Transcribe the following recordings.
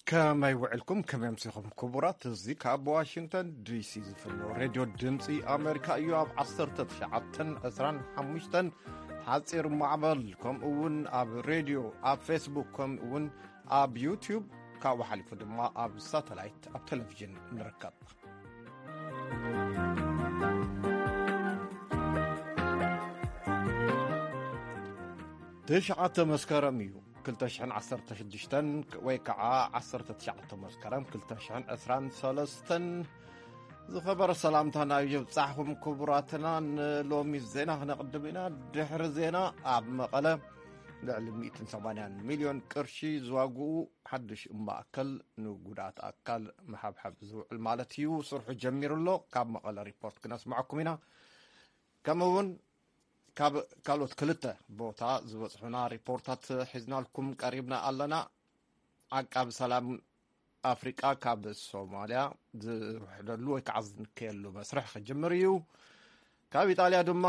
ከመይ ውዕልኩም? ከመይ ኣምሲኹም ክቡራት? እዚ ካብ ዋሽንግተን ዲሲ ዝፍኖ ሬድዮ ድምፂ ኣሜሪካ እዩ። ኣብ ዓሰርተ ትሽዓተን ዕስራን ሓሙሽተን ሓፂር ማዕበል፣ ከምኡ እውን ኣብ ሬድዮ፣ ኣብ ፌስቡክ፣ ከምኡ እውን ኣብ ዩቲዩብ፣ ካብኡ ሓሊፉ ድማ ኣብ ሳተላይት፣ ኣብ ቴሌቪዥን ንርከብ። ትሽዓተ መስከረም እዩ። ክልተ ሽሕን ዓሰርተ ሽዱሽተን ወይ ከዓ ዓሰርተ ትሽዓተ መስከረም ክልተ ሽሕን ዕስራን ሰለስተን። ዝኸበረ ሰላምታና ይብጻሕኹም ክቡራትና። ንሎሚ ዜና ክነቕድም ኢና። ድሕሪ ዜና ኣብ መቐለ ልዕሊ ሚእትን ሰማንያን ሚልዮን ቅርሺ ዝዋግኡ ሓድሽ ማእከል ንጉድኣት ኣካል መሓብሓብ ዝውዕል ማለት እዩ፣ ስርሑ ጀሚሩ ኣሎ። ካብ መቐለ ሪፖርት ክነስምዐኩም ኢና። ከምኡ እውን ካብ ካልኦት ክልተ ቦታ ዝበጽሑና ሪፖርታት ሒዝናልኩም ቀሪብና ኣለና። ዓቃቢ ሰላም ኣፍሪቃ ካብ ሶማልያ ዝውሕደሉ ወይ ከዓ ዝንከየሉ መስርሕ ክጅምር እዩ። ካብ ኢጣልያ ድማ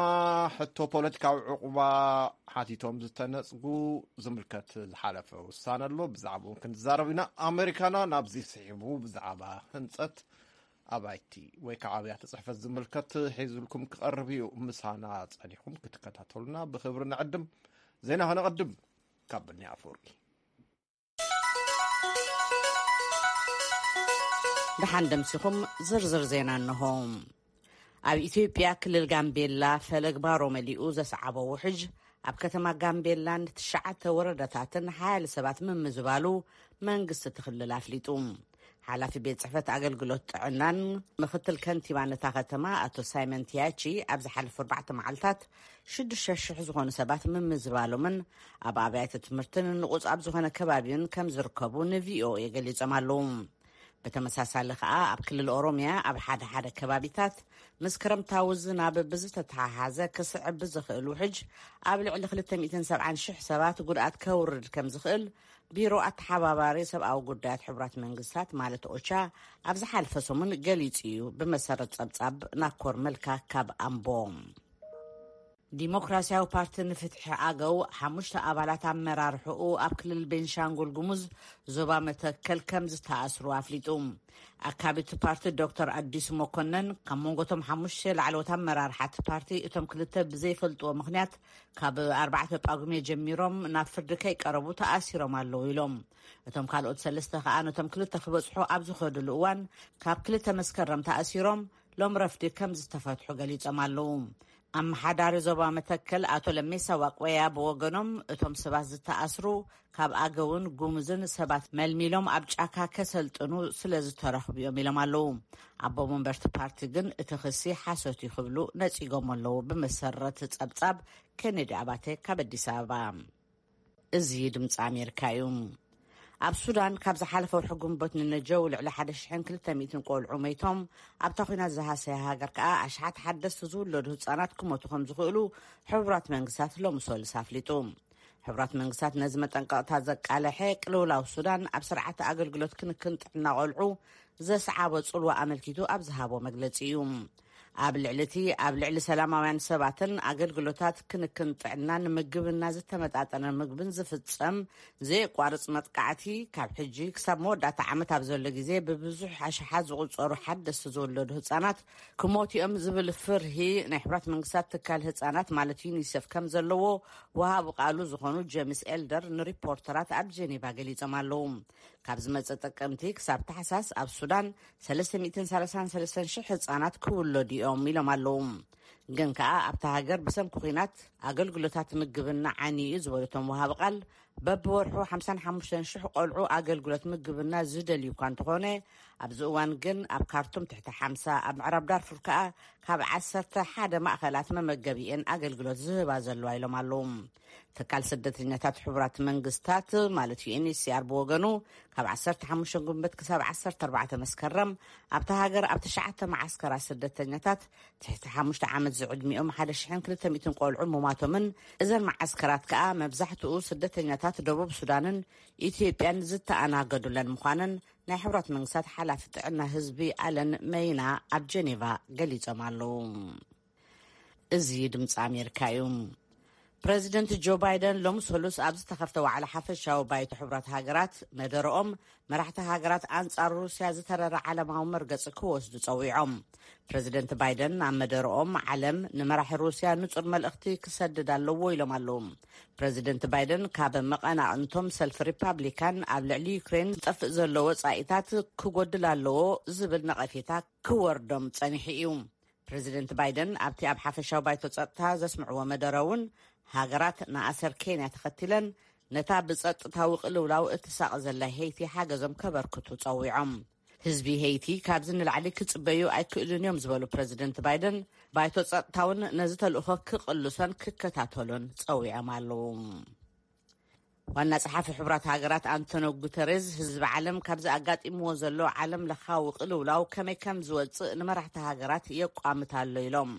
ሕቶ ፖለቲካዊ ዕቑባ ሓቲቶም ዝተነጽጉ ዝምልከት ዝሓለፈ ውሳነ ኣሎ። ብዛዕባኡ እውን ክንዛረብ ኢና። ኣሜሪካና ናብዚ ስሒቡ ብዛዕባ ህንጸት ኣባይቲ ወይ ከዓ ኣብያተ ጽሕፈት ዝምልከት ሒዙልኩም ክቐርብ እዩ። ምሳና ጸኒኹም ክትከታተሉና ብኽብሪ ንዕድም። ዜና ከነቐድም ካብ ብኒ ኣፈወርቂ። ደሓን ደምሲኹም ዝርዝር ዜና እንሆ። ኣብ ኢትዮጵያ ክልል ጋምቤላ ፈለግ ባሮ መሊኡ ዘስዓቦ ውሕጅ ኣብ ከተማ ጋምቤላን ትሽዓተ ወረዳታትን ሓያለ ሰባት ምምዝባሉ መንግስቲ እቲ ክልል ኣፍሊጡ። ሓላፊ ቤት ጽሕፈት ኣገልግሎት ጥዕናን ምክትል ከንቲባን እታ ከተማ ኣቶ ሳይመን ቲያቺ ኣብ ዝሓለፉ ኣርባዕተ መዓልታት ሽዱሽተ ሽሕ ዝኾኑ ሰባት ምምዝባሎምን ኣብ ኣብያተ ትምህርትን ንቑጽ ኣብ ዝኾነ ከባቢን ከም ዝርከቡ ንቪኦኤ ገሊጾም ኣለዉ። ብተመሳሳሊ ከኣ ኣብ ክልል ኦሮምያ ኣብ ሓደ ሓደ ከባቢታት ምስ ክረምታዊ ዝናብ ብዝተተሓሓዘ ክስዕብ ብዝኽእል ውሕጅ ኣብ ልዕሊ ክልተ ሚእትን ሰብዓን ሽሕ ሰባት ጉድኣት ከውርድ ከም ዝኽእል ቢሮ ኣተሓባባሪ ሰብኣዊ ጉዳያት ሕቡራት መንግስታት ማለት ኦቻ ኣብ ዝሓለፈ ሰሙን ገሊጹ እዩ። ብመሰረት ጸብጻብ ናኮር መልካ ካብ ኣምቦ። ዲሞክራሲያዊ ፓርቲ ንፍትሒ ኣገው ሓሙሽተ ኣባላት ኣመራርሕኡ ኣብ ክልል ቤንሻንጉል ጉሙዝ ዞባ መተከል ከም ዝተኣስሩ ኣፍሊጡ። ኣካቢ እቲ ፓርቲ ዶክተር ኣዲሱ መኮነን ካብ መንጎ እቶም ሓሙሽተ ላዕለዎት ኣመራርሓ እቲ ፓርቲ እቶም ክልተ ብዘይፈልጥዎ ምኽንያት ካብ ኣርባዕተ ጳጉሜ ጀሚሮም ናብ ፍርዲ ከይቀረቡ ተኣሲሮም ኣለዉ ኢሎም። እቶም ካልኦት ሰለስተ ከኣ ነቶም ክልተ ክበጽሑ ኣብ ዝኸድሉ እዋን ካብ ክልተ መስከረም ተኣሲሮም ሎም ረፍዲ ከም ዝተፈትሑ ገሊጾም ኣለዉ። ኣመሓዳሪ ዞባ መተከል ኣቶ ለሜሳ ዋቅወያ ብወገኖም እቶም ሰባት ዝተኣስሩ ካብ ኣገውን ጉሙዝን ሰባት መልሚሎም ኣብ ጫካ ከሰልጥኑ ስለ ዝተረኽቡ እዮም ኢሎም ኣለዉ። ኣቦ መንበርቲ ፓርቲ ግን እቲ ክሲ ሓሶት እዩ ክብሉ ነጺጎም ኣለዉ። ብመሰረት ጸብጻብ ኬኔዲ ኣባተ ካብ ኣዲስ ኣበባ። እዚ ድምፂ ኣሜሪካ እዩ። ኣብ ሱዳን ካብ ዝሓለፈ ወርሒ ግንቦት ንነጀው ልዕሊ ሓደ ሽሕን ክልተ ሚእትን ቆልዑ መይቶም። ኣብታ ኲናት ዝሃሰያ ሃገር ከኣ ኣሽሓት ሓደስቲ ዝውለዱ ህጻናት ክሞቱ ከም ዝኽእሉ ሕቡራት መንግስታት ሎሚ ሰሉስ ኣፍሊጡ። ሕቡራት መንግስታት ነዚ መጠንቀቕታ ዘቃለሐ ቅልውላው ሱዳን ኣብ ስርዓተ ኣገልግሎት ክንክን ጥዕና ቆልዑ ዘስዓቦ ጽልዋ ኣመልኪቱ ኣብ ዝሃቦ መግለጺ እዩ። ኣብ ልዕሊ እቲ ኣብ ልዕሊ ሰላማውያን ሰባትን ኣገልግሎታት ክንክን ጥዕናን ምግብና ዝተመጣጠነ ምግብን ዝፍጸም ዘየቋርጽ መጥቃዕቲ ካብ ሕጂ ክሳብ መወዳእታ ዓመት ኣብ ዘሎ ግዜ ብብዙሕ ኣሽሓት ዝቑጸሩ ሓደስቲ ዝውለዱ ህጻናት ክሞቱ እዮም ዝብል ፍርሂ ናይ ሕቡራት መንግስታት ትካል ህጻናት ማለት ዩኒሴፍ ከም ዘለዎ ወሃቢ ቃሉ ዝኾኑ ጄምስ ኤልደር ንሪፖርተራት ኣብ ጀኔቫ ገሊጾም ኣለዉ። ካብ ዝመጸ ጥቅምቲ ክሳብ ታሕሳስ ኣብ ሱዳን ሰለስተ ሚእትን ሰላሳን ሰለስተን ሽሕ ህጻናት ክውለዱ እዮም ኢሎም ኣለዉ። ግን ከኣ ኣብታ ሃገር ብሰንኪ ኲናት ኣገልግሎታት ምግብና ዓንዩ እዩ ዝበሉ እቶም ወሃቢ ቃል፣ በብወርሑ ሓምሳን ሓሙሽተን ሽሕ ቆልዑ ኣገልግሎት ምግብና ዝደልዩ እኳ እንተኾነ፣ ኣብዚ እዋን ግን ኣብ ካርቱም ትሕቲ ሓምሳ፣ ኣብ ምዕራብ ዳርፉር ከኣ ካብ ዓሰርተ ሓደ ማእኸላት መመገቢ እየን ኣገልግሎት ዝህባ ዘለዋ ኢሎም ኣለዉ። ትካል ስደተኛታት ሕቡራት መንግስታት ማለት ዩ ኤን ኤች ሲ ኣር ብወገኑ ካብ ዓሰርተ ሓሙሽተ ግንቦት ክሳብ ዓሰርተ ኣርባዕተ መስከረም ኣብታ ሃገር ኣብ ትሽዓተ መዓስከራት ስደተኛታት ትሕቲ ሓሙሽተ ዓመት ዝዕድሚኦም ሓደ ሽሕን ክልተ ሚእትን ቆልዑ ምማቶምን እዘን መዓስከራት ከኣ መብዛሕትኡ ስደተኛታት ደቡብ ሱዳንን ኢትዮጵያን ዝተኣናገዱለን ምዃነን ናይ ሕቡራት መንግስታት ሓላፊ ጥዕና ህዝቢ ኣለን መይና ኣብ ጀኔቫ ገሊጾም ኣለዉ። እዚ ድምፂ ኣሜሪካ እዩ። ፕረዚደንት ጆ ባይደን ሎሚ ሰሉስ ኣብ ዝተኸፍተ ዋዕላ ሓፈሻዊ ባይቶ ሕቡራት ሃገራት መደረኦም፣ መራሕቲ ሃገራት ኣንጻር ሩስያ ዝተረረ ዓለማዊ መርገጺ ክወስዱ ጸዊዖም። ፕረዚደንት ባይደን ኣብ መደረኦም፣ ዓለም ንመራሒ ሩስያ ንጹር መልእኽቲ ክሰድድ ኣለዎ ኢሎም ኣለዉ። ፕረዚደንት ባይደን ካብ መቐናቕንቶም ሰልፊ ሪፓብሊካን ኣብ ልዕሊ ዩክሬን ዝጠፍእ ዘሎ ወጻኢታት ክጎድል ኣለዎ ዝብል ነቐፌታ ክወርዶም ጸኒሑ እዩ። ፕረዚደንት ባይደን ኣብቲ ኣብ ሓፈሻዊ ባይቶ ጸጥታ ዘስምዕዎ መደረ እውን፣ ሃገራት ንኣሰር ኬንያ ተኸቲለን ነታ ብጸጥታዊ ቅልውላው እትሳቐ ዘላ ሄይቲ ሓገዞም ከበርክቱ ጸዊዖም። ህዝቢ ሄይቲ ካብዚ ንላዕሊ ክጽበዩ ኣይክእሉን እዮም ዝበሉ ፕረዚደንት ባይደን፣ ባይቶ ጸጥታ እውን ነዚ ተልእኾ ክቕልሶን ክከታተሎን ጸዊዖም ኣለዉ። ዋና ጸሓፊ ሕቡራት ሃገራት ኣንቶኒዮ ጉተሬዝ፣ ህዝቢ ዓለም ካብዚ ኣጋጢምዎ ዘሎ ዓለም ለኻዊ ቅልውላው ከመይ ከም ዝወጽእ ንመራሕቲ ሃገራት የቋምት ኣሎ ኢሎም።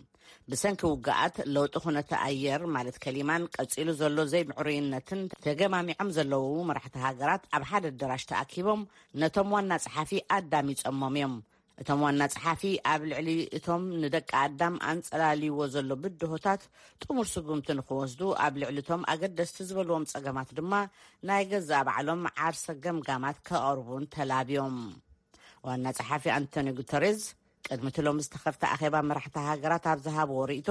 ብሰንኪ ውግኣት፣ ለውጢ ኩነተ ኣየር ማለት ከሊማን ቀጺሉ ዘሎ ዘይምዕሩይነትን ተገማሚዖም ዘለዉ መራሕቲ ሃገራት ኣብ ሓደ ኣደራሽ ተኣኪቦም ነቶም ዋና ጸሓፊ ኣዳሚጾሞም እዮም። እቶም ዋና ጸሓፊ ኣብ ልዕሊ እቶም ንደቂ ኣዳም ኣንጸላልይዎ ዘሎ ብድሆታት ጥሙር ስጉምቲ ንኽወስዱ፣ ኣብ ልዕሊ እቶም ኣገደስቲ ዝበልዎም ጸገማት ድማ ናይ ገዛእ ባዕሎም ዓርሰ ገምጋማት ከቐርቡን ተላብዮም። ዋና ጸሓፊ ኣንቶኒ ጉተሬዝ ቅድሚ እቲ ሎሚ ዝተኸፍተ ኣኼባ መራሕቲ ሃገራት ኣብ ዝሃብዎ ርእይቶ፣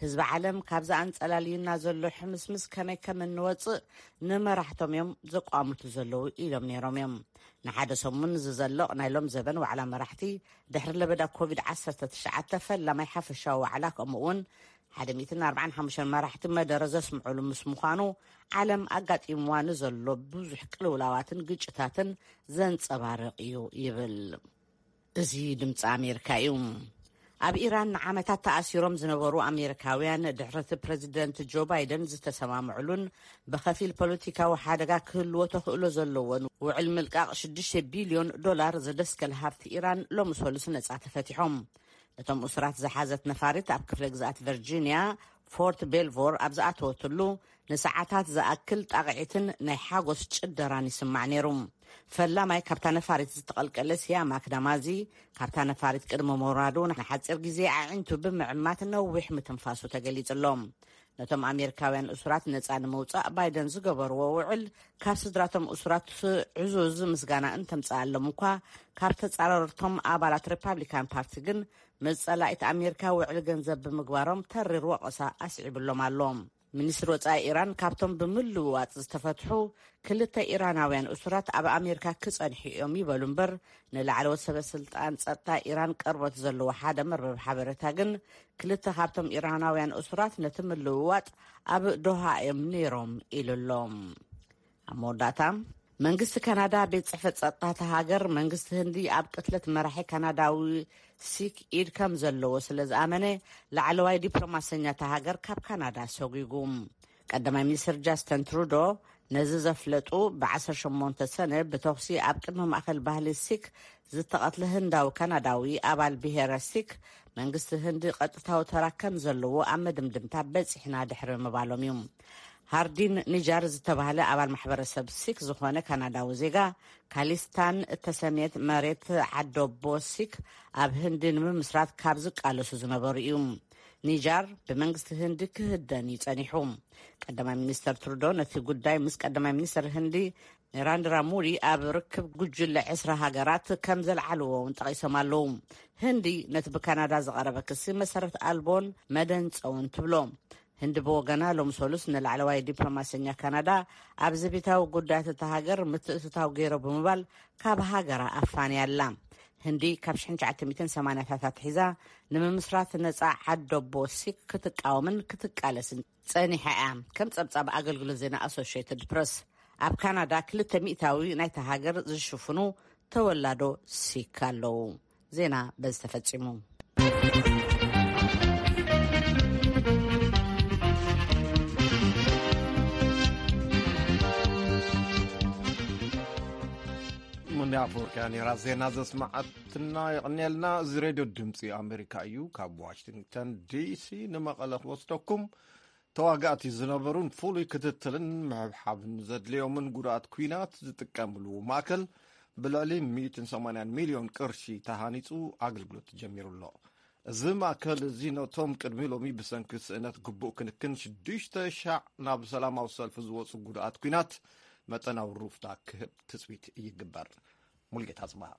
ህዝቢ ዓለም ካብዚ ኣንጸላልዩና ዘሎ ሕምስምስ ከመይ ከም እንወጽእ ንመራሕቶም እዮም ዘቋምቱ ዘለዉ ኢሎም ነይሮም እዮም። ንሓደ ሰሙን ዝዘልቕ ናይ ሎም ዘበን ዋዕላ መራሕቲ ድሕሪ ለበዳ ኮቪድ ዓሰርተ ትሽዓተ ፈላማይ ሓፈሻዊ ዋዕላ፣ ከምኡ እውን ሓደ ሚእትን ኣርባዓን ሓሙሽተን መራሕቲ መደረ ዘስምዑሉ ምስ ምዃኑ፣ ዓለም ኣጋጢምዋ ንዘሎ ብዙሕ ቅልውላዋትን ግጭታትን ዘንጸባርቕ እዩ ይብል። እዚ ድምፂ ኣሜሪካ እዩ። ኣብ ኢራን ንዓመታት ተኣሲሮም ዝነበሩ ኣሜሪካውያን፣ ድሕሪ እቲ ፕረዚደንት ጆ ባይደን ዝተሰማምዕሉን ብኸፊል ፖለቲካዊ ሓደጋ ክህልዎ ተኽእሎ ዘለዎን ውዕል ምልቃቕ ሽዱሽተ ቢልዮን ዶላር ዘደስከለ ሃብቲ ኢራን፣ ሎሚ ሰሉስ ነጻ ተፈቲሖም። ነቶም እሱራት ዝሓዘት ነፋሪት ኣብ ክፍለ ግዝኣት ቨርጂንያ ፎርት ቤልቮር ኣብ ዝኣተወትሉ፣ ንሰዓታት ዝኣክል ጣቕዒትን ናይ ሓጎስ ጭደራን ይስማዕ ነይሩ። ፈላማይ ካብታ ነፋሪት ዝተቐልቀለ ሲያማክ ዳማዚ፣ ካብታ ነፋሪት ቅድሚ ምውራዱ ንሓጺር ግዜ ኣዒንቱ ብምዕማት ነዊሕ ምትንፋሱ ተገሊጹ ኣሎ። ነቶም ኣሜሪካውያን እሱራት ነጻ ንምውጻእ ባይደን ዝገበርዎ ውዕል፣ ካብ ስድራቶም እሱራት ዕዙዝ ምስጋና እንተምጽኣሎም እኳ፣ ካብ ተጻረርቶም ኣባላት ሪፓብሊካን ፓርቲ ግን መጸላኢት ኣሜሪካ ውዕል ገንዘብ ብምግባሮም ተሪር ወቐሳ ኣስዒብሎም ኣሎ። ሚኒስትሪ ወጻኢ ኢራን፣ ካብቶም ብምልውዋጥ ዝተፈትሑ ክልተ ኢራናውያን እሱራት ኣብ ኣሜሪካ ክጸንሑ እዮም ይበሉ እምበር፣ ንላዕለዎት ሰበ ስልጣን ጸጥታ ኢራን ቅርበት ዘለዎ ሓደ መርበብ ሓበሬታ ግን፣ ክልተ ካብቶም ኢራናውያን እሱራት ነቲ ምልውዋጥ ኣብ ዶሃ እዮም ነይሮም ኢሉ ኣሎ። ኣብ መወዳእታ፣ መንግስቲ ካናዳ፣ ቤት ጽሕፈት ጸጥታ እታ ሃገር፣ መንግስቲ ህንዲ ኣብ ቅትለት መራሒ ካናዳዊ ሲክ ኢድ ከም ዘለዎ ስለ ዝኣመነ፣ ላዕለዋይ ዲፕሎማሰኛ እታ ሃገር ካብ ካናዳ ሰጒጉ። ቀዳማይ ሚኒስትር ጃስቲን ትሩዶ ነዚ ዘፍለጡ፣ ብ ዓሰርተ ሸሞንተ ሰነ ብተኹሲ ኣብ ቅድሚ ማእከል ባህሊ ሲክ ዝተቐትለ ህንዳዊ ካናዳዊ ኣባል ብሄረ ሲክ፣ መንግስቲ ህንዲ ቀጥታዊ ተራ ከም ዘለዎ ኣብ መደምደምታ በጺሕና ድሕሪ ምባሎም እዩ። ሃርዲን ኒጃር ዝተባህለ ኣባል ማሕበረሰብ ሲክ ዝኾነ ካናዳዊ ዜጋ፣ ካሊስታን እተሰምየት መሬት ዓደቦ ሲክ ኣብ ህንዲ ንምምስራት ካብ ዝቃለሱ ዝነበሩ እዩ። ኒጃር ብመንግስቲ ህንዲ ክህደን እዩ ጸኒሑ። ቀዳማይ ሚኒስተር ትሩዶ ነቲ ጉዳይ ምስ ቀዳማይ ሚኒስተር ህንዲ ናራንድራ ሞዲ ኣብ ርክብ ጉጅለ ዕስራ ሃገራት ከም ዘልዓልዎ እውን ጠቒሶም ኣለዉ። ህንዲ ነቲ ብካናዳ ዝቐረበ ክሲ መሰረት ኣልቦን መደንጸውን ትብሎ። ህንዲ ብወገና፣ ሎሚ ሰሉስ ንላዕለዋይ ዲፕሎማሰኛ ካናዳ ኣብ ዘቤታዊ ጉዳያት እታ ሃገር ምትእትታው ገይሮ ብምባል ካብ ሃገራ ኣፋንያ ኣላ። ህንዲ ካብ ሽሕን ትሽዓተ ሚእትን ሰማንያታት ኣትሒዛ ንምምስራት ነጻ ዓደቦ ሲክ ክትቃወምን ክትቃለስን ጸኒሓ እያ። ከም ጸብጻብ ኣገልግሎት ዜና ኣሶሽየትድ ፕረስ፣ ኣብ ካናዳ ክልተ ሚእታዊ ናይታ ሃገር ዝሽፍኑ ተወላዶ ሲክ ኣለዉ። ዜና በዚ ተፈጺሙ። ሙንያ ኣፈወርቅያ ነይራ ዜና ዘስማዓትና። የቐንየልና። እዚ ሬድዮ ድምፂ ኣሜሪካ እዩ። ካብ ዋሽንግተን ዲሲ ንመቐለ ክወስደኩም። ተዋጋእቲ ዝነበሩን ፍሉይ ክትትልን ምሕብሓብን ዘድልዮምን ጉዳት ኲናት ዝጥቀምሉ ማእከል ብልዕሊ ሚእትን ሰማንያን ሚልዮን ቅርሺ ተሃኒጹ ኣገልግሎት ጀሚሩ ኣሎ። እዚ ማእከል እዚ ነቶም ቅድሚ ሎሚ ብሰንኪ ስእነት ግቡእ ክንክን ሽዱሽተ ሻዕ ናብ ሰላማዊ ሰልፊ ዝወጹ ጉድኣት ኲናት መጠናዊ ሩፍታ ክህብ ትጽቢት ይግበር። ሙልጌታ ጽባህ።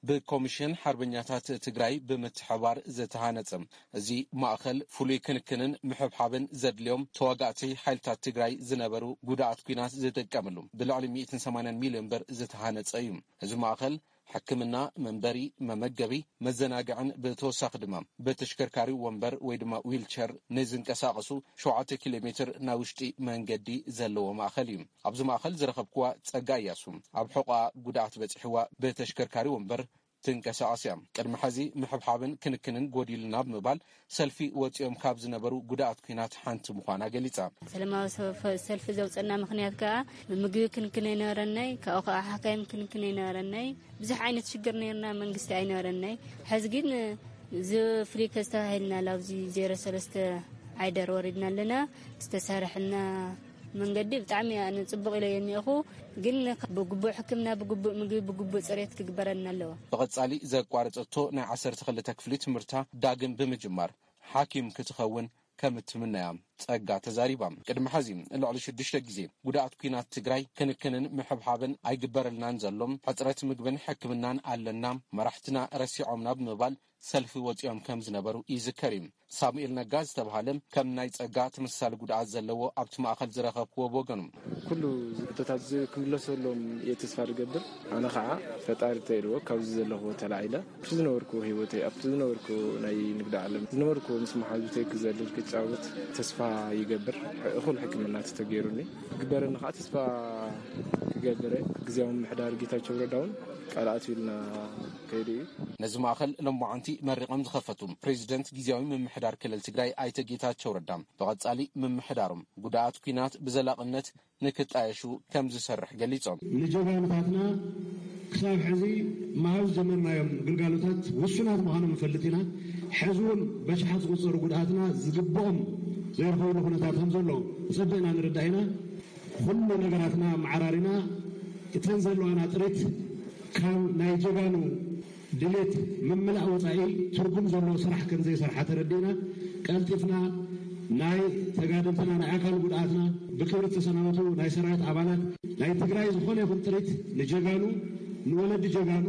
ብኮሚሽን ሓርበኛታት ትግራይ ብምትሕባር ዝተሃነጸ እዚ ማእከል ፍሉይ ክንክንን ምሕብሓብን ዘድልዮም ተዋጋእቲ ሓይልታት ትግራይ ዝነበሩ ጉድኣት ኲናት ዝጥቀምሉ ብልዕሊ ሚእትን ሰማንያን ሚልዮን ብር ዝተሃነጸ እዩ። እዚ ማእከል ሕክምና፣ መንበሪ፣ መመገቢ፣ መዘናግዕን ብተወሳኺ ድማ ብተሽከርካሪ ወንበር ወይ ድማ ዊልቸር ንዝንቀሳቐሱ ሸውዓተ ኪሎ ሜትር ናይ ውሽጢ መንገዲ ዘለዎ ማእከል እዩ። ኣብዚ ማእከል ዝረኸብክዋ ጸጋ እያሱ ኣብ ሕቖኣ ጉድኣት በጺሕዋ ብተሽከርካሪ ወንበር ትንቀሳቐስ እያ። ቅድሚ ሕዚ ምሕብሓብን ክንክንን ጎዲሉና ብምባል ሰልፊ ወጺኦም ካብ ዝነበሩ ጉድኣት ኲናት ሓንቲ ምዃና ገሊጻ። ሰላማዊ ሰልፊ ዘውፀና ምክንያት ከዓ ምግቢ ክንክን ኣይነበረናይ፣ ካብኡ ከዓ ሓካይም ክንክን ኣይነበረናይ። ብዙሕ ዓይነት ሽግር ነይርና፣ መንግስቲ ኣይነበረናይ። ሕዚ ግን እዚ ፍሊከስ ተባሂልና ላብዚ ዜሮ ሰለስተ ዓይደር ወሪድና ኣለና። ዝተሰርሐና መንገዲ ብጣዕሚ ኣነ ጽቡቕ ኢለ የኒእኹ፣ ግን ብግቡእ ሕክምና፣ ብግቡእ ምግቢ፣ ብግቡእ ጽሬት ክግበረልና ኣለዎ። ብቐጻሊ ዘቋረጸቶ ናይ ዓሰርተ ክልተ ክፍሊ ትምህርታ ዳግም ብምጅማር ሓኪም ክትኸውን ከም እትምነያ ጸጋ ተዛሪባ። ቅድሚ ሕዚ ልዕሊ ሽዱሽተ ግዜ ጉድኣት ኲናት ትግራይ ክንክንን ምሕብሓብን ኣይግበረልናን ዘሎም፣ ሕጽረት ምግብን ሕክምናን ኣለና፣ መራሕትና ረሲዖምና ብምባል ሰልፊ ወጺኦም ከም ዝነበሩ ይዝከር እዩ። ሳሙኤል ነጋ ዝተባሃለ ከም ናይ ጸጋ ተመሳሳሊ ጉድኣት ዘለዎ ኣብቲ ማእከል ዝረኸብክዎ ብወገኑ። ኩሉ ሕቶታት እዚ ክምለሰሎም እየ ተስፋ ዝገብር። ኣነ ኸዓ ፈጣሪ ተይልዎ ካብዚ ዘለኹዎ ተላዒለ ኣብቲ ዝነበርኩዎ ህይወተይ፣ ኣብቲ ዝነበርኩዎ ናይ ንግዲ ዓለም ዝነበርኩዎ ምስ መሓዙተይ ክዘልል ክጫወት ተስፋ ይገብር። እኹል ሕክምና ተተገይሩኒ ክግበረኒ ኸዓ ተስፋ ክገብር እየ። ግዝያዊ ምምሕዳር ጌታቸው ረዳ እውን ቃል ኣትዩልና ከይዱ እዩ። ነዚ ማእከል ሎማዓንቲ መሪቖም ዝኸፈቱ ፕሬዚደንት ግዝያዊ ምምሕዳር ክልል ትግራይ ኣይተ ጌታቸው ረዳ ብቐጻሊ ምምሕዳሮም ጉድኣት ኲናት ብዘላቕነት ንክጣየሹ ከም ዝሰርሕ ገሊጾም። ንጀጋኑታትና ክሳብ ሕዚ ምሃብ ዝጀመርናዮም ግልጋሎታት ውሱናት ምዃኖም ንፈልጥ ኢና። ሕዚ እውን በሽሓት ዝቑጸሩ ጉድኣትና ዝግብኦም ዘይረኸብሉ ኩነታት ከም ዘሎ ጸቢቕና ንርዳእ ኢና። ኩሉ ነገራትና መዓራሪና እተን ዘለዋና ጥሪት ካብ ናይ ጀጋኑ ድሌት ምምላእ ወጻኢ ትርጉም ዘለዎ ስራሕ ከም ዘይሰርሓ ተረዲእና ቀልጢፍና ናይ ተጋደልትና ናይ ኣካል ጉድኣትና ብክብሪ ተሰናበቱ ናይ ሰራዊት ኣባላት ናይ ትግራይ ዝኾነ ይኹን ጥሪት ንጀጋኑ ንወለዲ ጀጋኑ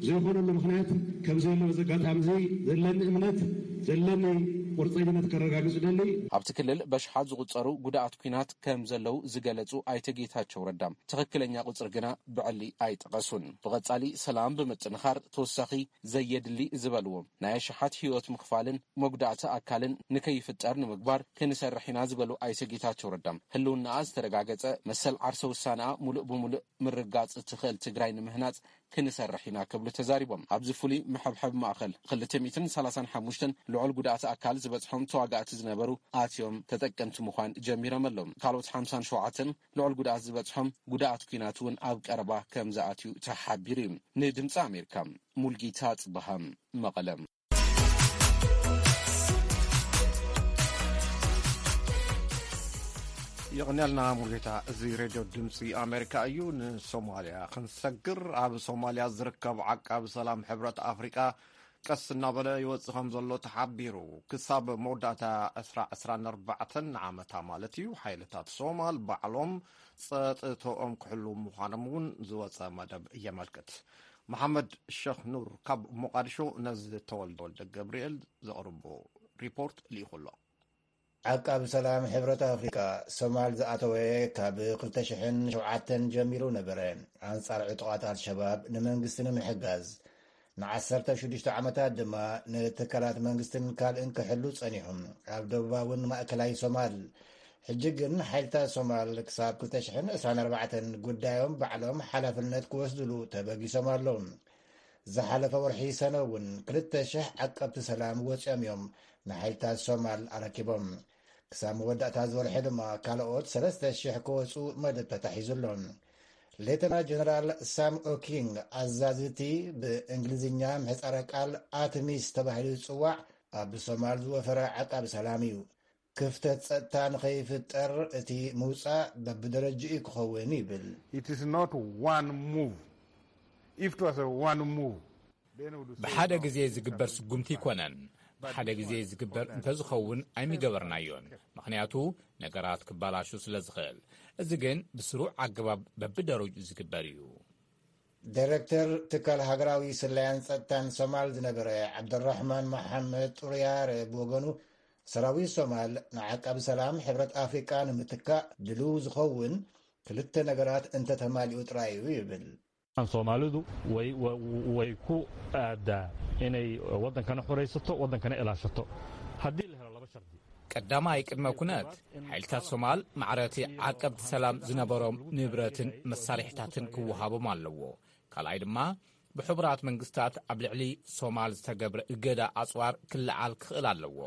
ዘይኾነሉ ምኽንያት ከም ዘየለ በዚ ኣጋጣሚ እዚ ዘለኒ እምነት ዘለኒ ቁርፀኝነት ከረጋግፅ ደሊ። ኣብቲ ክልል በሽሓት ዝቑጸሩ ጉድኣት ኲናት ከም ዘለዉ ዝገለጹ ኣይተ ጌታቸው ረዳ ትኽክለኛ ቁጽሪ ግና ብዕሊ ኣይጠቐሱን። ብቐጻሊ ሰላም ብምጥንኻር ተወሳኺ ዘየድሊ ዝበልዎ ናይ ኣሽሓት ህይወት ምኽፋልን መጉዳእቲ ኣካልን ንከይፍጠር ንምግባር ክንሰርሕ ኢና ዝበሉ ኣይተ ጌታቸው ረዳ ህልውናኣ ዝተረጋገጸ መሰል ዓርሰ ውሳነኣ ሙሉእ ብሙሉእ ምርጋጽ እትኽእል ትግራይ ንምህናጽ ክንሰርሕ ኢና ክብሉ ተዛሪቦም። ኣብዚ ፍሉይ መሐብሐቢ ማእኸል ክልተ ሚእትን ሰላሳን ሓሙሽተን ልዑል ጉድኣት ኣካል ዝበፅሖም ተዋጋእቲ ዝነበሩ ኣትዮም ተጠቀምቲ ምዃን ጀሚሮም ኣለዉ። ካልኦት ሓምሳን ሸውዓተን ልዑል ጉድኣት ዝበፅሖም ጉድኣት ኲናት እውን ኣብ ቀረባ ከም ዝኣትዩ ተሓቢሩ እዩ። ንድምፂ ኣሜሪካ ሙልጌታ ጽበሃ መቐለ። የቕንያልና ሙሉጌታ። እዚ ሬድዮ ድምፂ ኣሜሪካ እዩ። ንሶማልያ ክንሰግር፣ ኣብ ሶማልያ ዝርከብ ዓቃቢ ሰላም ሕብረት ኣፍሪቃ ቀስ እናበለ ይወፅእ ከም ዘሎ ተሓቢሩ። ክሳብ መወዳእታ ዕስራ ዕስራን ኣርባዕተን ዓመታ ማለት እዩ፣ ሓይልታት ሶማል ባዕሎም ፀጥተኦም ክሕልዉ ምዃኖም እውን ዝወፀ መደብ የመልክት። መሓመድ ሸኽ ኑር ካብ ሞቃዲሾ ነዚ ተወልደ ወልደ ገብርኤል ዘቕርቦ ሪፖርት ልኢኹ ኣሎ። ዓቃቢ ሰላም ሕብረት ኣፍሪቃ ሶማል ዝኣተወ ካብ ክልተ ሽሕን ሸውዓተን ጀሚሩ ነበረ። ኣንጻር ዕጡቓት ኣልሸባብ ንመንግስቲ ንምሕጋዝ ንዓሰርተ ሽዱሽተ ዓመታት ድማ ንትካላት መንግስትን ካልእን ክሕሉ ጸኒሑ። ኣብ ደቡባውን ማእከላይ ሶማል ሕጂ ግን ሓይልታት ሶማል ክሳብ ክልተ ሽሕን ዕስራን ኣርባዕተን ጉዳዮም ባዕሎም ሓላፍነት ክወስድሉ ተበጊሶም ኣለዉ። ዝሓለፈ ወርሒ ሰነ እውን ክልተ ሽሕ ዓቀብቲ ሰላም ወፂኦም እዮም ንሓይልታት ሶማል ኣረኪቦም። ክሳብ መወዳእታ ዝወርሒ ድማ ካልኦት ሰለስተ ሽሕ ክወፁ መደብ ተታሒዙ ኣሎ። ሌተና ጀነራል ሳም ኦኪንግ ኣዛዚ እቲ ብእንግሊዝኛ ምሕፃረ ቃል ኣትሚስ ተባሂሉ ዝፅዋዕ ኣብ ሶማል ዝወፈረ ዓቃቢ ሰላም እዩ። ክፍተት ጸጥታ ንኸይፍጠር እቲ ምውጻእ በብደረጅኡ ክኸውን ይብል። It is not one move. If it was a one move, ብሓደ ግዜ ዝግበር ስጉምቲ ኣይኮነን። ብሓደ ግዜ ዝግበር እንተዝኸውን ኣይምገበርናዮን፣ ምኽንያቱ ነገራት ክባላሹ ስለ ዝኽእል። እዚ ግን ብስሩዕ ኣገባብ በብደረጅኡ ዝግበር እዩ። ዳይረክተር ትካል ሃገራዊ ስለያን ጸጥታን ሶማል ዝነበረ ዓብደራሕማን መሓመድ ጡርያረ ብወገኑ፣ ሰራዊት ሶማል ንዓቃቢ ሰላም ሕብረት ኣፍሪቃ ንምትካእ ድልው ዝኸውን ክልተ ነገራት እንተተማሊኡ ጥራይ እዩ ይብል። Soomaalidu way way ku aadaa inay wadankana xoraysato, wadankana ilaashato, haddii la helo laba shardi. ቀዳማይ ቅድመ ኩነት፣ ሓይልታት ሶማል ማዕረቲ ዓቀብቲ ሰላም ዝነበሮም ንብረትን መሳርሕታትን ክወሃቦም ኣለዎ። ካልኣይ ድማ፣ ብሕቡራት መንግስታት ኣብ ልዕሊ ሶማል ዝተገብረ እገዳ ኣጽዋር ክለዓል ክኽእል ኣለዎ።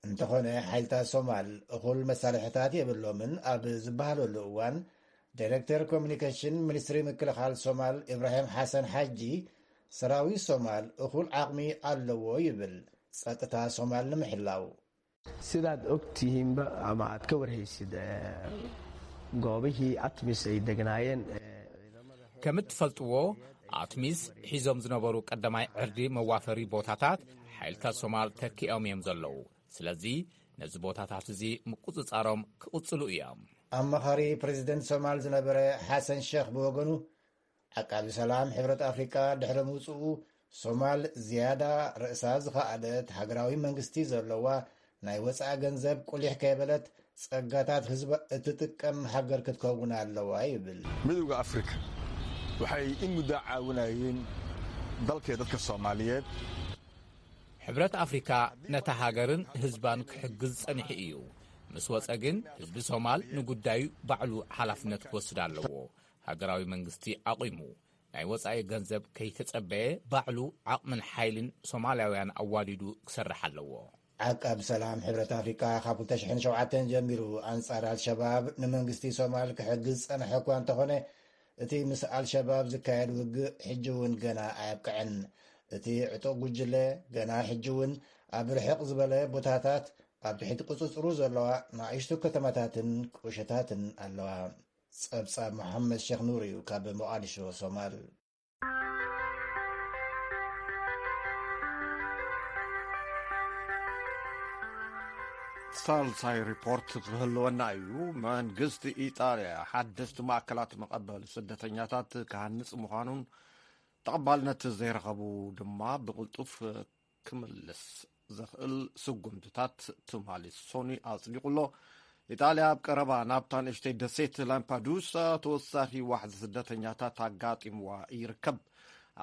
እንተኾነ፣ ሓይልታት ሶማል እኹል መሳርሕታት የብሎምን ኣብ ዝበሃለሉ እዋን፣ ዳይረክተር ኮሚኒኬሽን ሚኒስትሪ ምክልኻል ሶማል ኢብራሂም ሓሰን ሓጂ፣ ሰራዊት ሶማል እኹል ዓቕሚ ኣለዎ ይብል፣ ጸጥታ ሶማል ንምሕላው። Sidaad og tihiinba ama aad ka warhaysid, goobihii atmis ay degnaayeen. ከም እትፈልጥዎ፣ ኣትሚስ ሒዞም ዝነበሩ ቀዳማይ ዕርዲ መዋፈሪ ቦታታት ሓይልታት ሶማል ተኪኦም እዮም ዘለዉ። ስለዚ ነዚ ቦታታት እዚ ምቁጽጻሮም ክቕጽሉ እዮም። ኣማኻሪ ፕሬዚደንት ሶማል ዝነበረ ሓሰን ሸኽ ብወገኑ፣ ዓቃቢ ሰላም ሕብረት ኣፍሪቃ ድሕሪ ምውፅኡ፣ ሶማል ዝያዳ ርእሳ ዝኸኣለት ሃገራዊ መንግስቲ ዘለዋ፣ ናይ ወፃኢ ገንዘብ ቁሊሕ ከይበለት ጸጋታት ህዝባ እትጥቀም ሃገር ክትከውን ኣለዋ ይብል። Midowga Afrika waxay in muddo caawinayeen dalka iyo dadka Soomaaliyeed. ሕብረት ኣፍሪካ ነታ ሃገርን ህዝባን ክሕግዝ ጸኒሑ እዩ። ምስ ወጸ ግን ህዝቢ ሶማል ንጉዳዩ ባዕሉ ሓላፍነት ክወስድ ኣለዎ። ሃገራዊ መንግስቲ ኣቑሙ፣ ናይ ወጻኢ ገንዘብ ከይተጸበየ ባዕሉ ዓቕምን ሓይልን ሶማላውያን ኣዋዲዱ ክሰርሕ ኣለዎ። ዓቃብ ሰላም ሕብረት ኣፍሪቃ ካብ ክልተ ሽሕን ሸውዓተን ጀሚሩ ኣንጻር ኣልሸባብ ንመንግስቲ ሶማል ክሕግዝ ዝጸንሐ እኳ እንተኾነ፣ እቲ ምስ ኣልሸባብ ዝካየድ ውግእ ሕጂ እውን ገና ኣየብቅዐን። እቲ ዕጡቕ ጉጅለ ገና ሕጂ እውን ኣብ ርሕቕ ዝበለ ቦታታት ኣብ ትሕቲ ቁጽጽሩ ዘለዋ ንኣሽቱ ከተማታትን ቁሸታትን ኣለዋ። ጸብጻብ መሓመድ ሼክ ኑር እዩ ካብ ሞቓዲሾ ሶማል። ሳልሳይ ሪፖርት ክህልወና እዩ። መንግስቲ ኢጣልያ ሓደስቲ ማእከላት መቐበሊ ስደተኛታት ክሃንጽ ምዃኑን ተቐባልነት ዘይረኸቡ ድማ ብቕልጡፍ ክምልስ ዘኽእል ስጉምትታት ትማሊ ሶኒ ኣጽዲቑ ኣሎ። ኢጣልያ ኣብ ቀረባ ናብታ ንእሽተይ ደሴት ላምፓዱሳ ተወሳኺ ዋሕዚ ስደተኛታት ኣጋጢምዋ ይርከብ።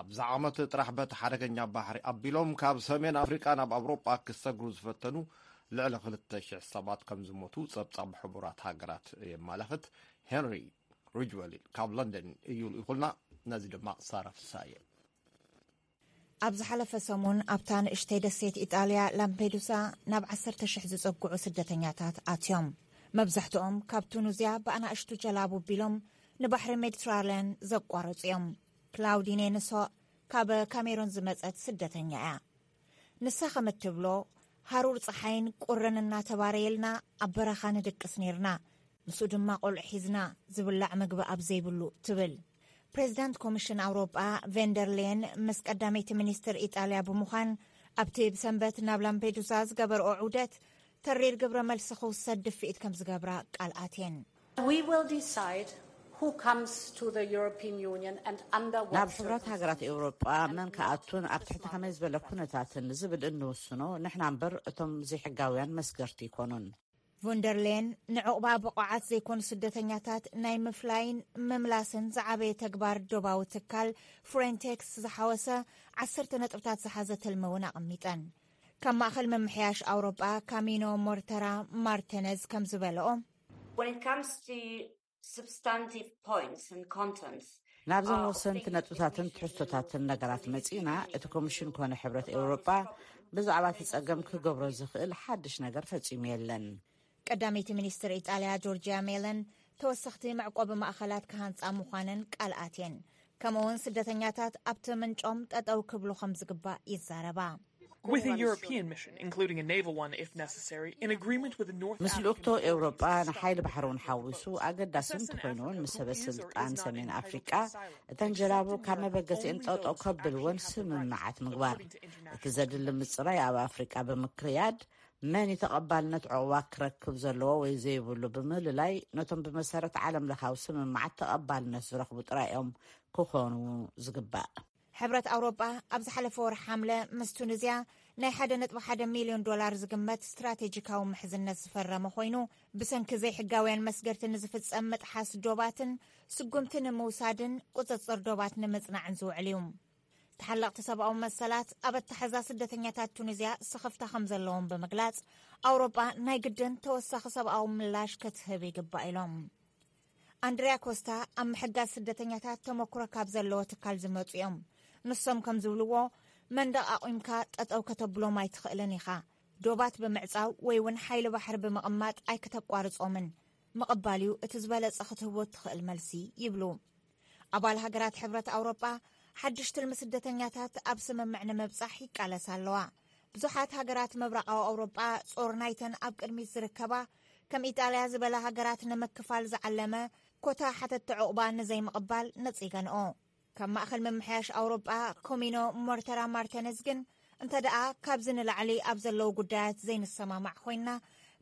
ኣብዚ ዓመት ጥራሕ በቲ ሓደገኛ ባሕሪ ኣቢሎም ካብ ሰሜን ኣፍሪቃ ናብ ኣውሮጳ ክሰግሩ ዝፈተኑ ልዕሊ ክልተ ሽሕ ሰባት ከም ዝሞቱ ጸብጻብ ሕቡራት ሃገራት የመላኽት። ሄንሪ ሪጅወል ካብ ለንደን እዩ ልኢኹልና። ነዚ ድማ ሳራ ፍሳየ። ኣብ ዝሓለፈ ሰሙን ኣብታ ንእሽተይ ደሴት ኢጣልያ ላምፔዱሳ ናብ ዓሰርተ ሽሕ ዝጸግዑ ስደተኛታት ኣትዮም። መብዛሕትኦም ካብ ቱኑዝያ ብኣናእሽቱ ጀላቡ ኣቢሎም ንባሕሪ ሜዲትራልያን ዘቋረጹ እዮም። ክላውዲኔ ንሶ ካብ ካሜሩን ዝመጸት ስደተኛ እያ። ንሳ ከም እትብሎ፣ ሃሩር ጸሓይን ቁርን እናተባረየልና ኣብ በረኻ ንድቅስ ኔርና። ምስኡ ድማ ቆልዑ ሒዝና ዝብላዕ ምግቢ ኣብ ዘይብሉ ትብል። ፕሬዚዳንት ኮሚሽን ኣውሮጳ ቬንደር ሌን ምስ ቀዳመይቲ ሚኒስትር ኢጣልያ ብምዃን ኣብቲ ብሰንበት ናብ ላምፔዱሳ ዝገበርኦ ዑደት ተሪር ግብረ መልሲ ክውሰድ ድፍኢት ከም ዝገብራ ቃል ኣትየን። We will decide who comes to the European Union and under what ናብ ሕብረት ሃገራት ኤውሮጳ መን ክኣቱን ኣብ ትሕቲ ከመይ ዝበለ ኩነታትን ዝብል እንውስኖ ንሕና እምበር እቶም ዘይሕጋውያን መስገርቲ ኣይኮኑን። ቮንደርሌን ንዕቑባ ብቑዓት ዘይኮኑ ስደተኛታት ናይ ምፍላይን ምምላስን ዝዓበየ ተግባር ዶባዊ ትካል ፍሬንቴክስ ዝሓወሰ ዓሰርተ ነጥብታት ዝሓዘ ትልሚ እውን ኣቐሚጠን። ካብ ማእኸል ምምሕያሽ ኣውሮጳ ካሚኖ ሞርተራ ማርተነዝ ከም ዝበለኦ፣ When it comes to substantive points and contents, ናብዘን ወሰንቲ ነጥብታትን ትሕዝቶታትን ነገራት መጺእና፣ እቲ ኮሚሽን ኮነ ሕብረት ኤውሮጳ ብዛዕባ እቲ ጸገም ክገብሮ ዝኽእል ሓድሽ ነገር ፈጺሙ የለን። ቀዳመይቲ ሚኒስትር ኢጣልያ ጆርጂያ ሜለን ተወሰኽቲ መዕቆቢ ማእኸላት ክሃንጻ ምዃነን ቃል ኣትየን። ከምኡውን ስደተኛታት ኣብቲ ምንጮም ጠጠው ክብሉ ከም ዝግባእ ይዛረባ። With a European mission, including a naval one if necessary, in agreement with the North ምስ ልኡኽቶ ኤውሮጳ ንሓይሊ ባሕሪ እውን ሓዊሱ ኣገዳሲ እንተኾይኑ እውን ምስ ሰበ ስልጣን ሰሜን ኣፍሪቃ እተን ጀላቡ ካብ መበገሲአን ጠጠው ከብልወን ስምምዓት ምግባር። እቲ ዘድሊ ምጽራይ ኣብ ኣፍሪቃ ብምክያድ መን እዩ ተቐባልነት ዕቑባ ክረክብ ዘለዎ ወይ ዘይብሉ ብምልላይ ነቶም ብመሰረት ዓለም ለኻዊ ስምምዓት ተቐባልነት ዝረኽቡ ጥራይ እዮም ክኾኑ ዝግባእ። ሕብረት ኣውሮጳ ኣብ ዝሓለፈ ወርሒ ሓምለ ምስ ቱኒዝያ ናይ ሓደ ነጥቢ ሓደ ሚልዮን ዶላር ዝግመት ስትራቴጂካዊ ምሕዝነት ዝፈረመ ኮይኑ፣ ብሰንኪ ዘይሕጋውያን መስገድቲ ንዝፍጸም ምጥሓስ ዶባትን ስጉምቲ ንምውሳድን ቁጽጽር ዶባት ንምጽናዕን ዝውዕል እዩ። ተሓለቕቲ ሰብኣዊ መሰላት ኣብ ኣተሓዛ ስደተኛታት ቱኒዝያ ስኽፍታ ከም ዘለዎም ብምግላጽ፣ ኣውሮጳ ናይ ግድን ተወሳኺ ሰብኣዊ ምላሽ ክትህብ ይግባእ ኢሎም። ኣንድሪያ ኮስታ ኣብ ምሕጋዝ ስደተኛታት ተመኩሮ ካብ ዘለዎ ትካል ዝመጹ እዮም። ንሶም ከም ዝብልዎ፣ መንደቕ ኣቑምካ ጠጠው ከተብሎም ኣይትኽእልን ኢኻ። ዶባት ብምዕጻው ወይ እውን ሓይሊ ባሕሪ ብምቕማጥ ኣይክተቋርጾምን። ምቕባል እዩ እቲ ዝበለጸ ክትህቦ እትኽእል መልሲ ይብሉ። ኣባል ሃገራት ሕብረት ኣውሮጳ ሓድሽ ትልሚ ስደተኛታት ኣብ ስምምዕ ንምብጻሕ ይቃለሳ ኣለዋ። ብዙሓት ሃገራት ምብራቓዊ ኣውሮጳ ጾር ናይተን ኣብ ቅድሚት ዝርከባ ከም ኢጣልያ ዝበላ ሃገራት ንምክፋል ዝዓለመ ኮታ ሓተቲ ዕቑባ ንዘይምቕባል ነጺገንኦ። ካብ ማእኸል ምምሕያሽ ኣውሮጳ ኮሚኖ ሞርተራ ማርተነዝ ግን እንተ ደኣ ካብዚ ንላዕሊ ኣብ ዘለዉ ጉዳያት ዘይንሰማማዕ ኮይንና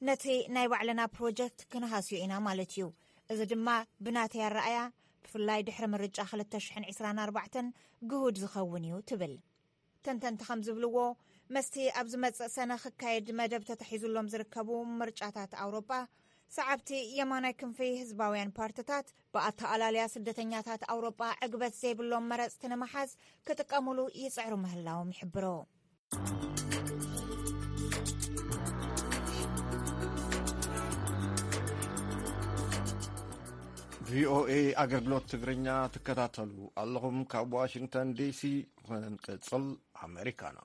ነቲ ናይ ባዕልና ፕሮጀክት ክንሃስዮ ኢና ማለት እዩ። እዚ ድማ ብናተይ ኣረኣያ ብፍላይ ድሕሪ ምርጫ ክልተ ሽሕን ዕስራን ኣርባዕተን ግሁድ ዝኸውን እዩ ትብል። ተንተንቲ ከም ዝብልዎ፣ መስቲ ኣብ ዝመጽእ ሰነ ክካየድ መደብ ተታሒዙሎም ዝርከቡ ምርጫታት ኣውሮጳ፣ ሰዓብቲ የማናይ ክንፊ ህዝባውያን ፓርትታት ብኣተኣላልያ ስደተኛታት ኣውሮጳ ዕግበት ዘይብሎም መረጽቲ ንምሓዝ ክጥቀሙሉ ይጽዕሩ ምህላዎም ይሕብሮ። ቪኦኤ ኣገልግሎት ትግርኛ ትከታተሉ ኣለኹም። ካብ ዋሽንግተን ዲሲ ክንቅጽል፣ ኣሜሪካና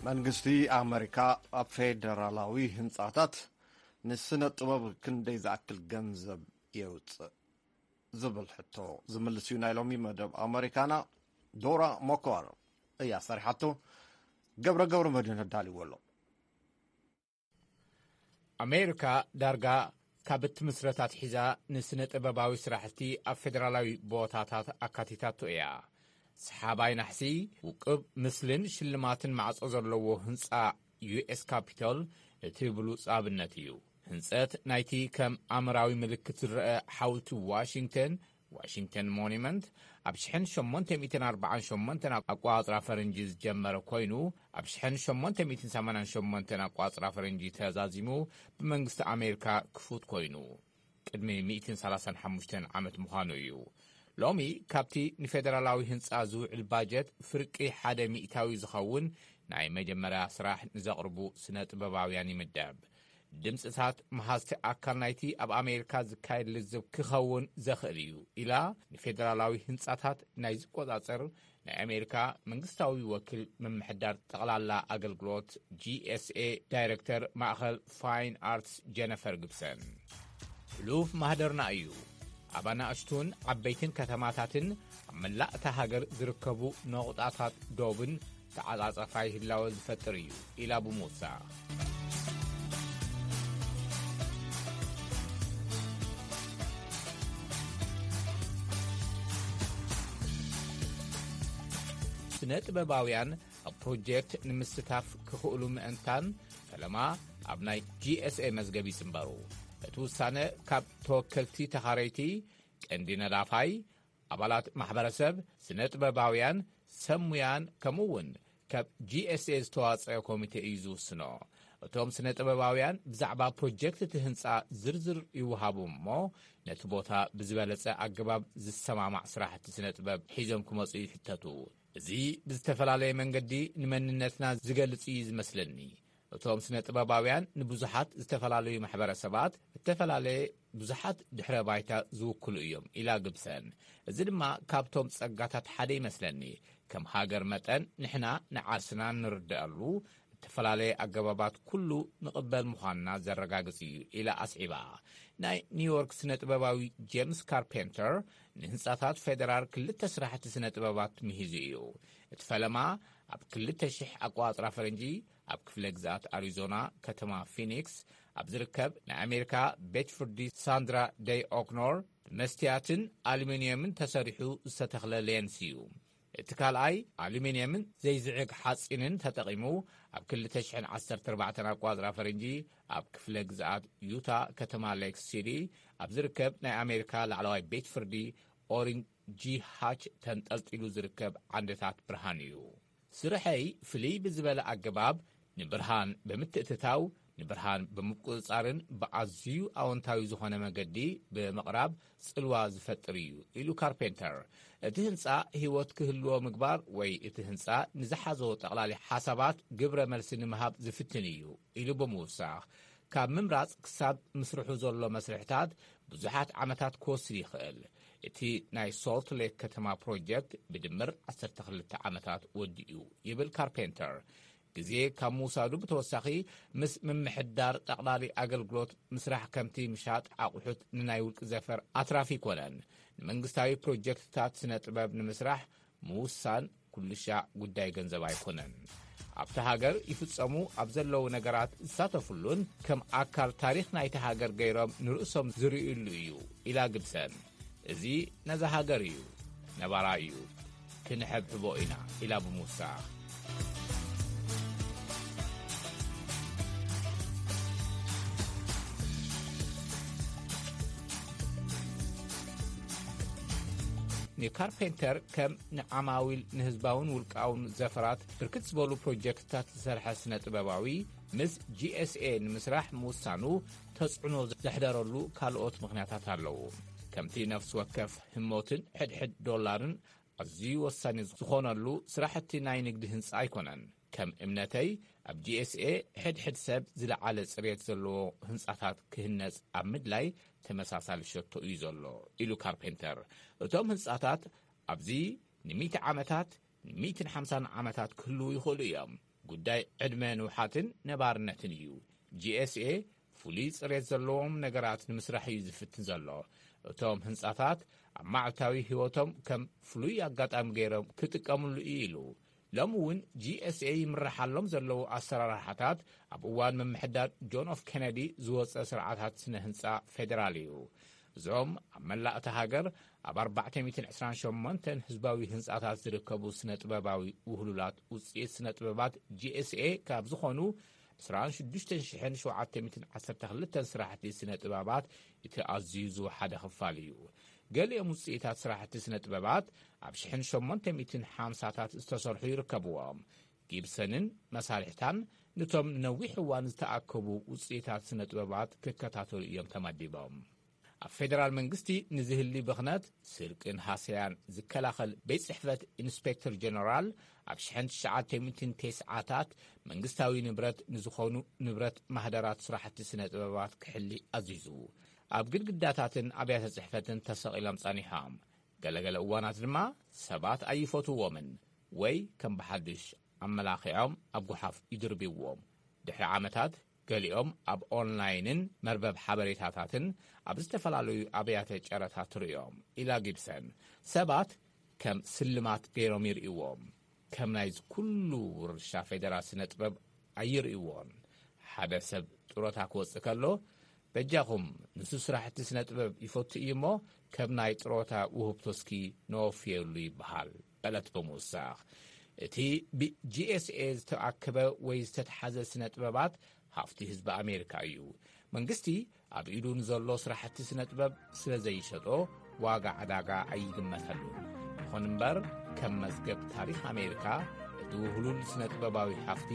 መንግስቲ ኣመሪካ ኣብ ፌደራላዊ ህንጻታት ንስነ ጥበብ ክንደይ ዝኣክል ገንዘብ የውጽእ ዝብል ሕቶ ዝምልስ እዩ ናይ ሎሚ መደብ ኣመሪካና። ዶራ ሞኮር እያ ሰሪሓቶ። ገብረ ገብረ መድህን ኣዳልዎ ኣሎ። ኣሜሪካ ዳርጋ ካብ እትምስረት ኣትሒዛ ንስነ ጥበባዊ ስራሕቲ ኣብ ፌደራላዊ ቦታታት ኣካቲታቶ እያ። ሰሓባይ ናሕሲ፣ ውቅብ ምስልን ሽልማትን ማዕጾ ዘለዎ ህንጻ ዩ ኤስ ካፒቶል እቲ ብሉጽ ኣብነት እዩ። ህንጸት ናይቲ ከም ኣምራዊ ምልክት ዝረአ ሓውልቲ ዋሽንግተን፣ ዋሽንግተን ሞኒመንት፣ ኣብ ሽሕን ሸሞንተ ሚእትን ኣርባዓን ሸሞንተን ኣቋጽራ ፈረንጂ ዝጀመረ ኮይኑ፣ ኣብ ሽሕን ሸሞንተ ሚእትን ሰማንያን ሸሞንተን ኣቋጽራ ፈረንጂ ተዛዚሙ ብመንግስቲ ኣሜሪካ ክፉት ኮይኑ፣ ቅድሚ ሚእትን ሰላሳን ሓሙሽተን ዓመት ምዃኑ እዩ። ሎሚ ካብቲ ንፌደራላዊ ህንጻ ዝውዕል ባጀት ፍርቂ ሓደ ሚእታዊ ዝኸውን ናይ መጀመርያ ስራሕ ንዘቕርቡ ስነ ጥበባውያን ይምደብ። ድምጽታት መሃዝቲ ኣካል ናይቲ ኣብ ኣሜሪካ ዝካየድ ልዝብ ክኸውን ዘኽእል እዩ ኢላ ንፌደራላዊ ህንጻታት ናይ ዝቆጻጸር ናይ ኣሜሪካ መንግስታዊ ወኪል ምምሕዳር ጠቕላላ ኣገልግሎት ጂ ኤስ ኤ ዳይረክተር ማእኸል ፋይን ኣርትስ ጀነፈር ግብሰን። ሕሉፍ ማህደርና እዩ። ኣብ ኣናእሽቱን ዓበይትን ከተማታትን ኣብ መላእ እታ ሃገር ዝርከቡ ነቑጣታት ዶብን ተዓጻጻፋይ ህላወ ዝፈጥር እዩ ኢላ ብምውሳኽ፣ ስነ ጥበባውያን ኣብ ፕሮጀክት ንምስታፍ ክኽእሉ ምእንታን ፈለማ ኣብ ናይ ጂ ኤስ ኤ መዝገብ ይጽንበሩ። እቲ ውሳነ ካብ ተወከልቲ ተኻረይቲ፣ ቀንዲ ነዳፋይ፣ ኣባላት ማሕበረሰብ፣ ስነ ጥበባውያን፣ ሰብ ሙያን ከምኡ እውን ካብ ጂ ኤስ ኤ ዝተዋጸአ ኮሚቴ እዩ ዝውስኖ። እቶም ስነ ጥበባውያን ብዛዕባ ፕሮጀክት እቲ ህንጻ ዝርዝር ይወሃቡ እሞ ነቲ ቦታ ብዝበለጸ ኣገባብ ዝሰማማዕ ስራሕቲ ስነ ጥበብ ሒዞም ክመጹ ይሕተቱ። እዚ ብዝተፈላለየ መንገዲ ንመንነትና ዝገልጽ እዩ ዝመስለኒ። እቶም ስነ ጥበባውያን ንብዙሓት ዝተፈላለዩ ማሕበረሰባት እተፈላለየ ብዙሓት ድሕረ ባይታ ዝውክሉ እዮም ኢላ ግብሰን። እዚ ድማ ካብቶም ጸጋታት ሓደ ይመስለኒ። ከም ሃገር መጠን ንሕና ንዓርስና ንርድኣሉ፣ ዝተፈላለየ ኣገባባት ኩሉ ንቕበል ምዃንና ዘረጋግጽ እዩ ኢላ ኣስዒባ። ናይ ኒውዮርክ ስነ ጥበባዊ ጄምስ ካርፔንተር ንህንጻታት ፌደራል ክልተ ስራሕቲ ስነ ጥበባት ምሂዙ እዩ። እቲ ፈለማ ኣብ ክልተ ሽሕ ኣቋጽራ ፈረንጂ ኣብ ክፍለ ግዝኣት ኣሪዞና ከተማ ፊኒክስ ኣብ ዝርከብ ናይ ኣሜሪካ ቤት ፍርዲ ሳንድራ ደይ ኦክኖር ብመስትያትን ኣሉሚንየምን ተሰሪሑ ዝተተኽለ ሌንስ እዩ። እቲ ካልኣይ ኣሉሚንየምን ዘይዝዕግ ሓጺንን ተጠቒሙ ኣብ ክልተ ሽሕን ዓሰርተ ኣርባዕተን ኣቋጽራ ፈረንጂ ኣብ ክፍለ ግዝኣት ዩታ ከተማ ሌክ ሲቲ ኣብ ዝርከብ ናይ ኣሜሪካ ላዕለዋይ ቤት ፍርዲ ኦሪን ጂ ሃች ተንጠልጢሉ ዝርከብ ዓንድታት ብርሃን እዩ። ስርሐይ ፍልይ ብዝበለ ኣገባብ ንብርሃን ብምትእትታው፣ ንብርሃን ብምቁጽጻርን ብኣዝዩ ኣወንታዊ ዝኾነ መገዲ ብምቕራብ ጽልዋ ዝፈጥር እዩ ኢሉ ካርፔንተር። እቲ ህንጻ ህይወት ክህልዎ ምግባር ወይ እቲ ህንጻ ንዝሓዞ ጠቕላሊ ሓሳባት ግብረ መልሲ ንምሃብ ዝፍትን እዩ ኢሉ ብምውሳኽ፣ ካብ ምምራጽ ክሳብ ምስርሑ ዘሎ መስርሕታት ብዙሓት ዓመታት ክወስድ ይኽእል። እቲ ናይ ሶልት ሌክ ከተማ ፕሮጀክት ብድምር ዓሰርተ ክልተ ዓመታት ወዲኡ ይብል ካርፔንተር። ግዜ ካብ ምውሳዱ ብተወሳኺ ምስ ምምሕዳር ጠቕላሊ ኣገልግሎት ምስራሕ ከምቲ ምሻጥ ኣቑሑት ንናይ ውልቂ ዘፈር ኣትራፊ ኣይኮነን። ንመንግስታዊ ፕሮጀክትታት ስነ ጥበብ ንምስራሕ ምውሳን ኩልሻዕ ጉዳይ ገንዘብ ኣይኮነን። ኣብቲ ሃገር ይፍጸሙ ኣብ ዘለዉ ነገራት ዝሳተፉሉን ከም ኣካል ታሪኽ ናይቲ ሃገር ገይሮም ንርእሶም ዝርእዩሉ እዩ ኢላ ግብሰን። እዚ ነዛ ሃገር እዩ፣ ነባራ እዩ፣ ክንሕብሕቦ ኢና ኢላ ብምውሳኽ። ንካርፔንተር ከም ንዓማዊል ንህዝባውን ውልቃውን ዘፈራት ብርክት ዝበሉ ፕሮጀክትታት ዝሰርሐ ስነ ጥበባዊ ምስ ጂ ኤስ ኤ ንምስራሕ ምውሳኑ ተጽዕኖ ዘሕደረሉ ካልኦት ምኽንያታት ኣለዉ። ከምቲ ነፍሲ ወከፍ ህሞትን ሕድሕድ ዶላርን ኣዝዩ ወሳኒ ዝኾነሉ ስራሕቲ ናይ ንግዲ ህንጻ ኣይኮነን። ከም እምነተይ ኣብ ጂ ኤስ ኤ ሕድሕድ ሰብ ዝለዓለ ጽሬት ዘለዎ ህንጻታት ክህነጽ ኣብ ምድላይ ተመሳሳሊ ሸቶ እዩ ዘሎ ኢሉ ካርፔንተር። እቶም ህንጻታት ኣብዚ ንሚእቲ ዓመታት፣ ንሚእትን ሓምሳን ዓመታት ክህልዉ ይኽእሉ እዮም። ጉዳይ ዕድመ ንውሓትን ነባርነትን እዩ። ጂ ኤስ ኤ ፍሉይ ጽሬት ዘለዎም ነገራት ንምስራሕ እዩ ዝፍትን ዘሎ። እቶም ህንጻታት ኣብ መዓልታዊ ህይወቶም ከም ፍሉይ ኣጋጣሚ ገይሮም ክጥቀምሉ እዩ ኢሉ። ሎሚ እውን ጂ ኤስ ኤ ይምርሓሎም ዘለዉ ኣሰራርሓታት ኣብ እዋን ምምሕዳር ጆን ኤፍ ኬነዲ ዝወጸ ስርዓታት ስነ ህንጻ ፌደራል እዩ። እዞም ኣብ መላእ እታ ሃገር ኣብ ኣርባዕተ ሚእትን ዕስራን ሸሞንተን ህዝባዊ ህንጻታት ዝርከቡ ስነ ጥበባዊ ውህሉላት ውጽኢት ስነ ጥበባት ጂ ኤስ ኤ ካብ ዝኾኑ ዕስራን ሽዱሽተን ሽሕን ሸውዓተ ሚእትን ዓሰርተ ክልተን ስራሕቲ ስነ ጥበባት እቲ ኣዝዩ ዝወሓደ ክፋል እዩ። ገሊኦም ውጽኢታት ስራሕቲ ስነ ጥበባት ኣብ ሽሕን ሸሞንተ ሚእትን ሓምሳታት ዝተሰርሑ ይርከብዎም። ጊብሰንን መሳርሕታን ነቶም ንነዊሕ እዋን ዝተኣከቡ ውጽኢታት ስነ ጥበባት ክከታተሉ እዮም ተመዲቦም። ኣብ ፌደራል መንግስቲ ንዝህሊ ብኽነት፣ ስርቅን ሃሰያን ዝከላኸል ቤት ጽሕፈት ኢንስፔክተር ጀነራል ኣብ ሽሕን ትሽዓተ ሚእትን ተስዓታት መንግስታዊ ንብረት ንዝኾኑ ንብረት ማህደራት ስራሕቲ ስነ ጥበባት ክሕሊ ኣዚዙ። ኣብ ግድግዳታትን ኣብያተ ጽሕፈትን ተሰቒሎም ጸኒሖም። ገለገለ እዋናት ድማ ሰባት ኣይፈትውዎምን ወይ ከም ብሓድሽ ኣመላኺዖም ኣብ ጓሓፍ ይድርብይዎም። ድሕሪ ዓመታት ገሊኦም ኣብ ኦንላይንን መርበብ ሓበሬታታትን ኣብ ዝተፈላለዩ ኣብያተ ጨረታ ትርእዮም ኢላ ጊብሰን። ሰባት ከም ስልማት ገይሮም ይርእይዎም። ከም ናይዚ ኩሉ ውርሻ ፌደራል ስነ ጥበብ ኣይርእይዎን። ሓደ ሰብ ጥሮታ ክወጽእ ከሎ በጃኹም ንሱ ስራሕቲ ስነ ጥበብ ይፈቱ እዩ እሞ ከም ናይ ጥሮታ ውህብቶ እስኪ ነወፍየሉ ይበሃል በለት ብምውሳኽ። እቲ ብጂ ኤስ ኤ ዝተኣከበ ወይ ዝተተሓዘ ስነ ጥበባት ሃፍቲ ህዝቢ ኣሜሪካ እዩ። መንግስቲ ኣብ ኢዱ ንዘሎ ስራሕቲ ስነ ጥበብ ስለ ዘይሸጦ ዋጋ ዕዳጋ ኣይግመተሉን። ይኹን እምበር ከም መዝገብ ታሪኽ ኣሜሪካ እቲ ውህሉል ስነ ጥበባዊ ሃፍቲ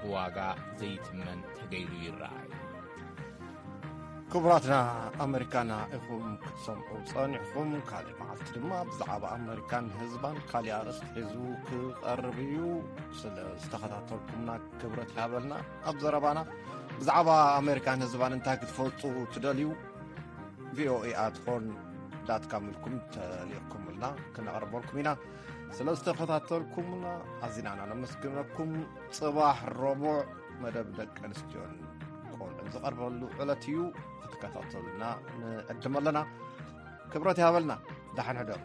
ብዋጋ ዘይትመን ተገይሩ ይረኣይ። ክቡራትና ኣመሪካና ኢኹም ክትሰምዑ ጸኒሕኹም። ካልእ መዓልቲ ድማ ብዛዕባ ኣመሪካን ህዝባን ካልእ ኣርእስቲ ሒዙ ክቐርብ እዩ። ስለ ዝተኸታተልኩምና ክብረት ይሃበልና። ኣብ ዘረባና ብዛዕባ ኣመሪካን ህዝባን እንታይ ክትፈልጡ ትደልዩ? ቪኦኤ ኣት ሆርን ዳት ካም ኢልኩም ተሊእኩምልና ክነቕርበልኩም ኢና። ስለ ዝተኸታተልኩምና ኣዚና ኢና ነመስግነኩም። ጽባሕ ረቡዕ መደብ ደቂ ኣንስትዮን ቆልዑን ዝቐርበሉ ዕለት እዩ። ክትከታተሉና ንዕድም ኣለና። ክብረት ይሃበልና። ደሓን ሕደሩ።